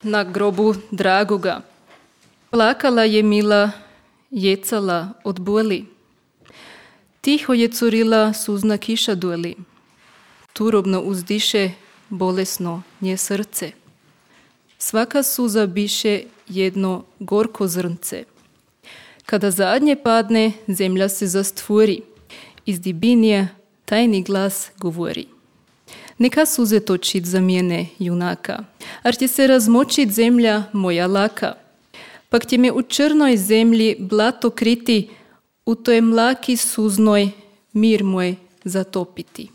na grobu dragoga. Plakala je Mila, jecala od boli. Tiho je curila suzna kiša doli. Turobno uzdiše bolesno nje srce. Svaka suza biše jedno gorko zrnce. Kada zadnje padne, zemlja se zastvori. Iz dibinje tajni glas govori. Neka suze točit za mjene, junaka, ar će se razmočit zemlja moja laka. Pak će me u črnoj zemlji blato kriti, u toj mlaki suznoj mir moj zatopiti.